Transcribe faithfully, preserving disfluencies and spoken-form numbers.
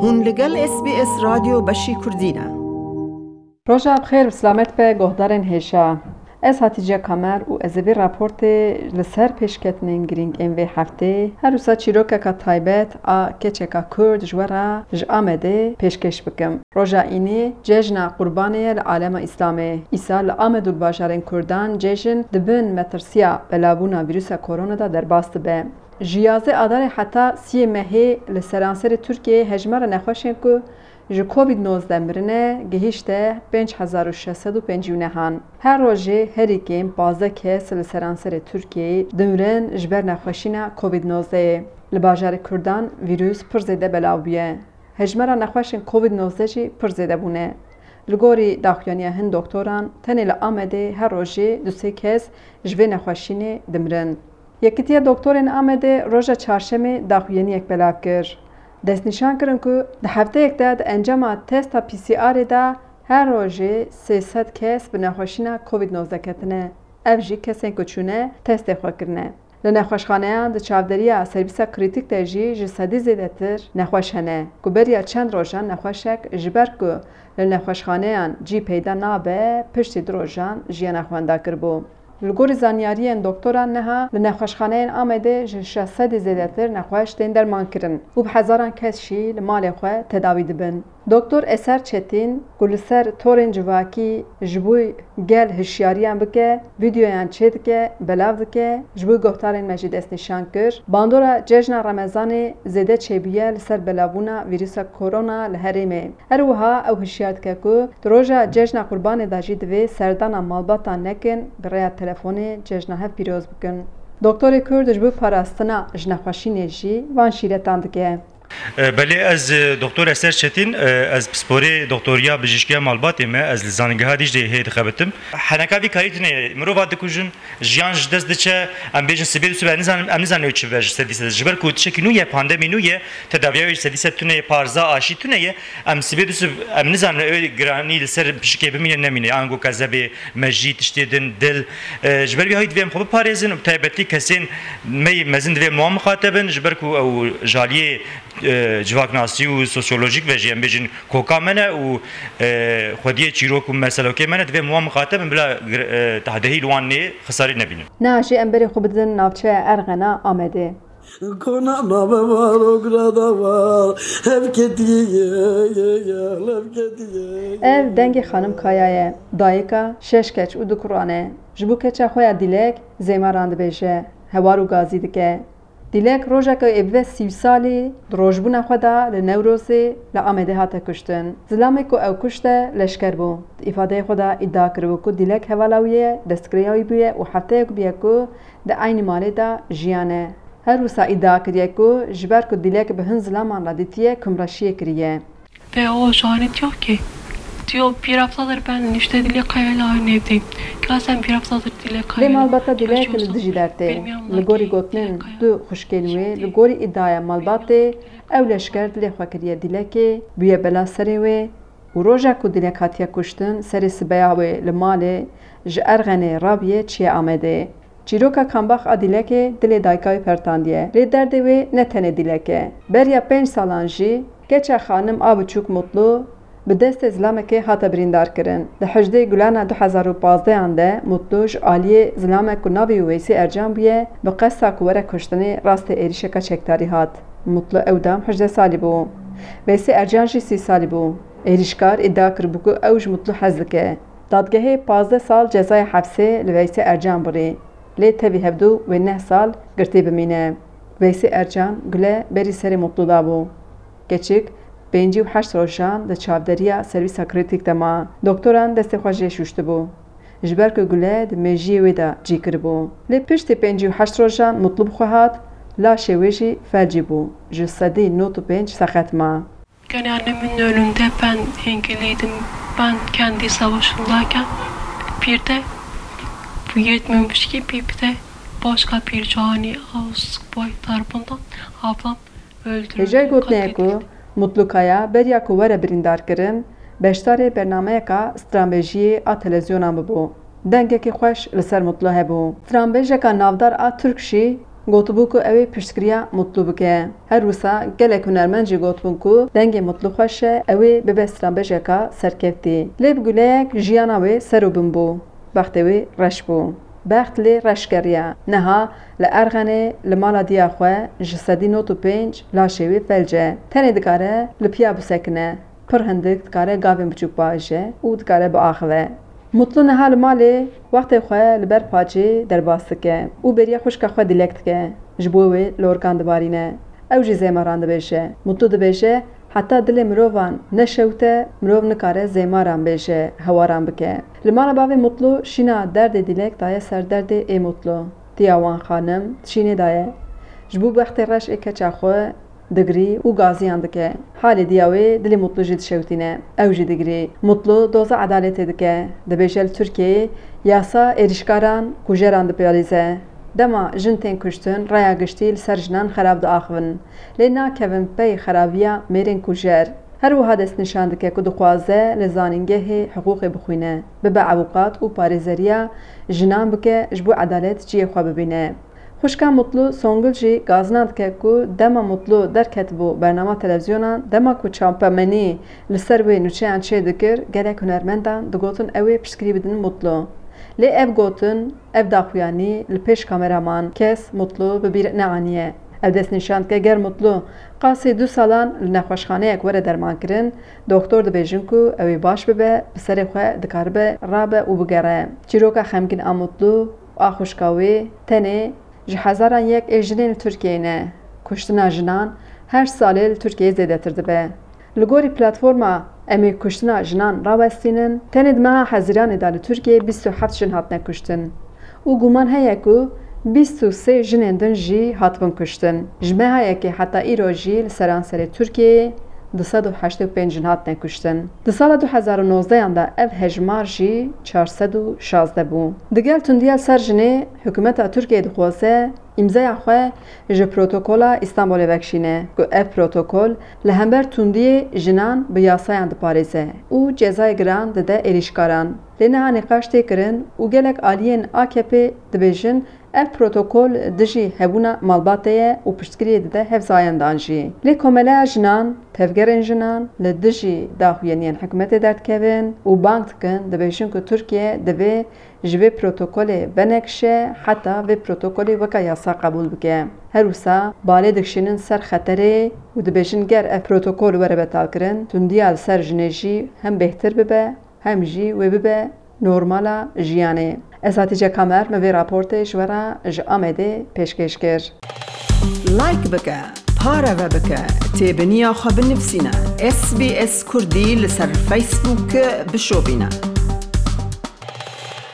Hûn li gel S B S Radyo Beşî Kurdî ne. Roja bi xêr û silamet be, guhdarên hêja. Ez Hatice Kamer û ez ê vê raportê li ser pêşketinên girîng ên vê heftê, her wisa çîrokeka taybet a keçeka Kurd ji we re ji Amedê pêşkêş bikim. Roja înî cejna Qurbanê ye li alema Îslamê. Îsal li Amed û li bajarên Kurdan cejn di bin metirsiya belavbûna vîrusa korona de derbas dibe. Ji yazdeh Adarê heta siyê mehê li seranserê Tirkiyeyê hejmara nexweşên ku ji Covid nozdeh mirine gihîşte pênc hezar û şeş sed û pêncî û nehan. Her rojê herî kêm pazdeh kes li seranserê Tirkiyeyê dimirin ji ber nexweşîna Covid nozdehê. Li bajarê Kurdan vîrus pir zêde belav bûye. Hejmara nexweşên Covid nozdeh jî pir zêde bûne. Li gorî daxuyaniya hin doktoran, tenê li Amedê her rojê du sê kes ji vê nexweşînê dimirin. Yekîtiya Doktorên Amedê roja Çarşemê daxuyaniyek belav kir. Destnîşan kirin ku di hefteyek de di encama testa P C Rê de her rojê sê sed kes bi nexweşîna Covid nozdeh ketine. Ev jî kesên ku çûne testê xwe kirine. Li nexweşxaneyan di çavderiya servîsa krîtîk de jî ji sedî zêdetir nexweş hene ku beriya çend rojan nexweşek ji ber ku li nexweşxaneyan cî peyda nabe, piştî du rojan jiyana xwe wenda kiribû. Li gorî zanyariyên doktoran niha li nexweşxaneyên Amedê ji şeş sedî zêdetir nexweş tên dermankirin û bi hezaran kes jî li malê xwe tedawî dibin. Doktor Eser Çetîn ku li ser torên civakî ji bo gel hişyariyan bike, vîdeoyan çêdike, belav dike, ji bo guhdarên me jî destnîşan kir, bandora cejna Remezanê zêde çêbûye li ser belavbûna vîrusa korona li herêmê. Her wiha ew hişyar dike ku di roja cejna Qurbanê de jî divê serdana malbatan nekin, bi rêya telefonê cejna hev pîroz bikin. Doktorê Kurd ji bo parastina ji nexweşînê jî van şîretan dike. E, belê ez, e, Doktor Eser Çetîn, e, ez pisporê doktoriya bijîşkiya malbatê me, ez li Zanîngeha Dîcleyê hê dixebitim. Heneka vî karî tune ye, mirova dikujin, jiyan ji dest diçe, em bêjin sibê dusib, em nizanin, em nizanin ew çi be ji sedî sed. Ji ber ku tiştekî nû ye, pandemî nû ye, tedaviya wê ji sedî sed tune ye, parza aşî tune ye, em sibê dusib, em nizanin ew giranî li ser pişikê bimîne nemîne, ango kezebê, mejî, tiştê din, dil. E, ji ber vî hayî divê em xwe biparêzin û bi taybetî kesên me yê mezin divê em wan mixateb in, ji ber ku ew ji aliyê, e, civaknasî û sosyolojîk ve jî em bêjin koka me ne û, e, xwediyê çîrok û meselokê me ne, divê em wan mixateb in, bila gir-, e, tahdehî li wan nê xisarî nebînin. Niha jî em berê xwe bidin navçeya Erxena Amedê. Kona nave var, o grada var, hevketiye, ye, ye, ye, hevketiye, ye, Ev ye, dengê ye. Xanim Kaya ye, dayika şeş keç û du kuran e. Ji bo keça xwe ya Dîlek zêmaran dibêje, hewar û gazî dike. Dîlek rojeke ê bibe sî salî di rojbûna xwe de li Newrozê li Amedê hate kuştin. Zilamê ku ew kuşte leşker bû. Di îfadeyê xwe de îdia kiribû ku Dîlek hevala wî ye, destgirêya wî bûye û hefteyek bûye ku di eynî malê de jiyane. Her wisa îdia kiriye ku ji ber ku Dîlek bi hin zilaman re dîtiye, kumreşiyê kiriye. Ve o Johnny diyor ki, diyor, bir haftadır ben işte Dilek Kaya'yla aynı evdeyim. Gerçekten bir haftadır Dilek Lê Kaya'yla malbata Dîlek li yaşıyorsun. Dijî dertê. Bilmiyorum Li gorî ki gotinên Dilek Kaya du xwişkên wê, li gorî îdiaya malbatê, ew leşker dilê xwe kiriye Dîlekê, bûye bela serê wê û roja ku Dîlek hatiye kuştin, serê sibeya wê li malê ji Erxenê rabûye çiye Amedê. Çîroka kambax a Dîlekê dilê dayika wê pertandiye. Lê derdê wê ne tenê Dîlek e. Beriya pênc salan jî keça xanim a biçûk Mutlu bi destê zilamekê hate birîndarkirin. Di hejdê Gulana du hezar û pazdehan de Mutlu ji aliyê zilamek ku navê wî Weysî Ercan bûye, bi qesta ku were kuştinê rastê êrîşeka çekdarî hat. Mutlu ew dem hejdeh salî bû. Weysî Ercan jî sî salî bû. Êrîşkar îdia kiribû ku ew ji Mutlu hez dike. Dadgehê pazdeh sal cezaya hepsê li Veysê Ercan birî, lê tevî hevdû wê neh sal girtî bimîne. Veysê Ercan gule berî serê Mutlu dabû. Keçik pêncî û heşt rojan di çavderiya servîsa krîtîk de ma. Doktoran destê xwe jê şûştibû. Ji ber ku gule di mêjiyê wê de cî kiribû. Lê piştî pêncî û heşt rojan Mutlu bi xwe hat, laşê wê jî felcî bû. Ji sedî nod û pênc seqet ma. Yani annemin ölümünde ben engelliydim. Ben kendi savaşındayken bir de bu yetmemiş gibi bir de başka bir cani subay tarafından ablam öldürüldü, Hêjayî gotinê ye ku katledildi. Mutlu Kaya beriya ku were birîndarkirin, beşdarê bernameyeka stranbêjiyê a televîzyonan bibû. Dengekî xweş li ser Mutlu hebû. Stranbêjeka navdar a Tirk jî Gotibû ku ew ê piştgiriya Mutlu bike. Her wisa gelek hunermend jî gotibûn ku dengê Mutlu xweş e, ew ê bibe stranbêjeka serkeftî. Lê bi guleyek jiyana wê ser û bin bû. Bextê wê reş bû. Bext lê reş geriya. Niha li Erxenê li mala diya xwe ji sedî nod û pênc laşê wê felc e. Tenê dikare li piya bisekine. Pir hindik dikare gavên biçûk biaje û dikare biaxive. Mutlu niha li malê wextê xwe li ber pacê derbas dike û bêriya xwişka xwe Dîlek dike. Ji bo wê lorkan dibarîne. Ew jî zêmaran dibêje. Mutlu dibêje, heta dilê mirovan neşewite, mirov nikare zêmaran bêje, hewaran bike. Li mala bavê Mutlu şîna derdê Dîlek daye ser derdê ê Mutlu. Diya wan xanim di şînê daye. Ji bo bextê reş ê keça xwe digirî û gaziyan dike. Halê diya wê dilê Mutlu jî dişewtîne. Ew jî digirî. Mutlu doza edaletê dike. Dibêje li Tirkiyeyê yasa êrîşkaran, kujeran diparêze. Dema jin tên kuştin, raya giştî li ser jinan xerab diaxivin. Lê nakevin pey xerabiya mêrên kujer. Her wiha destnîşan dike ku dixwaze li zanîngehê hiqûqê bixwîne, bibe ewqat û parêzeriya jinan bike, ji bo edalet cihê xwe bibîne. Xwişka Mutlu Songul jî gazina dike ku dema Mutlu derketibû bernama televîzyonan, dema ku çapemenî li ser wê nûçeyan çêdikir, gelek hunermendan digotin ew ê piştgirî bidin Mutlu. Lê ev gotin, ev daxuyanî li pêş kamera man, kes Mutlu bi bîr neaniye. Ev destnîşan dike ger Mutlu qasî du salan li nexweşxaneyek were dermankirin, doktor dibêjin ku ew ê baş bibe, bi serê xwe dikaribe rabe û bigere. Çîroka xemgîn a Mutlu û a xwişka wê tenê ji hezaran yek ê jinên li Tirkiyeyê ne. Kuştina jinan her salê li Tirkiyeyê zêdetir dibe. Li gorî platforma Em ê kuştina jinan rawestînin, tenê di meha Hezîranê de li Tirkiyeyê bîst û heft jin hatine kuştin û guman heye ku bîst û sê jinên din jî hatibin kuştin. Ji meha yekê heta îro jî li seranserê Tirkiyeyê du sed û heştê û pênc jin hatine kuştin. Di sala du hezar û nozdehan de ev hejmar jî çar sed û şazdeh bû. Digel tundiya li ser jinê, hikûmeta Tirkiyeyê dixwaze îmzaya xwe ji Protokola Îstanbulê vekişîne, ku ev protokol li hember tundiyê jinan bi yasayan diparêze û cezayê giran dide êrîşkaran. Lê niha nîqaş tê kirin û gelek aliyên A K P dibêjin, ev protokol dijî hebûna malbatê ye û piştgiriyê dide hevzayandan jî. Lê Komeleya Jinan, Tevgerên Jinan li dijî daxuyaniyên hikûmetê derdikevin û bang dikin, dibêjin ku Tirkiye divê ji vê protokolê venekişe heta vê protokolê weke yasa qebûl bike. Her wisa balê dikişînin ser xeterê û dibêjin, ger ev protokol were betalkirin, tundiya li ser jinê jî hem bêhtir bibe, hem jî wê bibe normala jiyanê. Ez Hatîce Kamer, me vê raportê ji we re ji Amedê pêşkêş kir. Like bike, pareve bike, têbiniya xwe binivîsîne. S B S Kurdî li ser Facebook bişopîne.